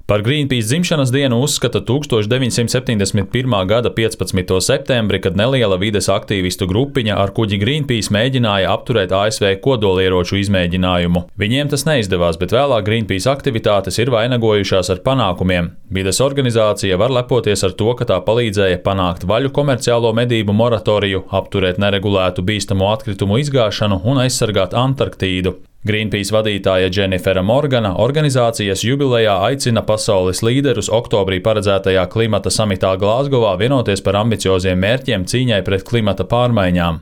Par Greenpeace dzimšanas dienu uzskata 1971. gada 15. septembri, kad neliela vides aktīvistu grupiņa ar kuģi Greenpeace mēģināja apturēt ASV kodolieroču izmēģinājumu. Viņiem tas neizdevās, bet vēlāk Greenpeace aktivitātes ir vainagojušās ar panākumiem. Vides organizācija var lepoties ar to, ka tā palīdzēja panākt vaļu komerciālo medību moratoriju, apturēt neregulētu bīstamo atkritumu izgāšanu un aizsargāt Antarktīdu. Greenpeace vadītāja Dženifera Morgana organizācijas jubilejā aicina pasaules līderus oktobrī paredzētajā klimata samitā Glāzgovā vienoties par ambicioziem mērķiem cīņai pret klimata pārmaiņām.